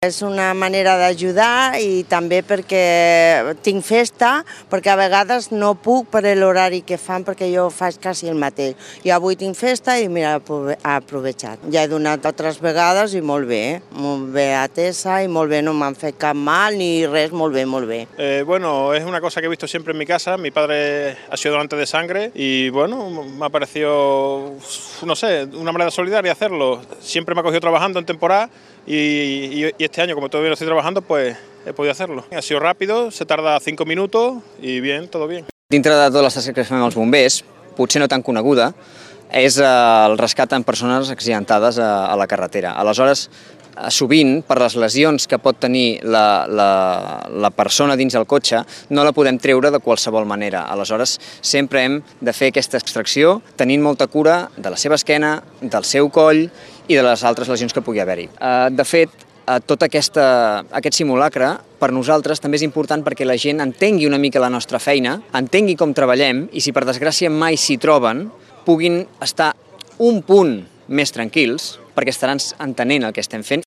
És una manera d'ajudar i també perquè tinc festa, perquè a vegades no puc per l'horari que fan perquè jo faig quasi el mateix. I avui tinc festa i mira, he aprovechat. Ja he donat altres vegades i molt bé atesa i molt bé, no m'han fet cap mal ni res, molt bé, molt bé. Bueno, es una cosa que he visto siempre en mi casa. Mi padre ha sido donante de sangre y bueno, me ha parecido, no sé, una manera solidaria hacerlo. Siempre me ha cogido trabajando en temporada y este año, como todavía no estoy trabajando, pues he podido hacerlo. Ha sido rápido, se tarda 5 minutos y bien, todo bien. Dintre de totes les tasques que fem els bombers, potser no tan coneguda, és el rescat en persones accidentades a la carretera. Aleshores, sovint, per les lesions que pot tenir la persona dins el cotxe, no la podem treure de qualsevol manera. Aleshores, sempre hem de fer aquesta extracció tenint molta cura de la seva esquena, del seu coll i de les altres lesions que pugui haver-hi. De fet, tot aquest simulacre per nosaltres també és important perquè la gent entengui una mica la nostra feina, entengui com treballem i si per desgràcia mai s'hi troben, puguin estar un punt més tranquils perquè estaran entenent el que estem fent.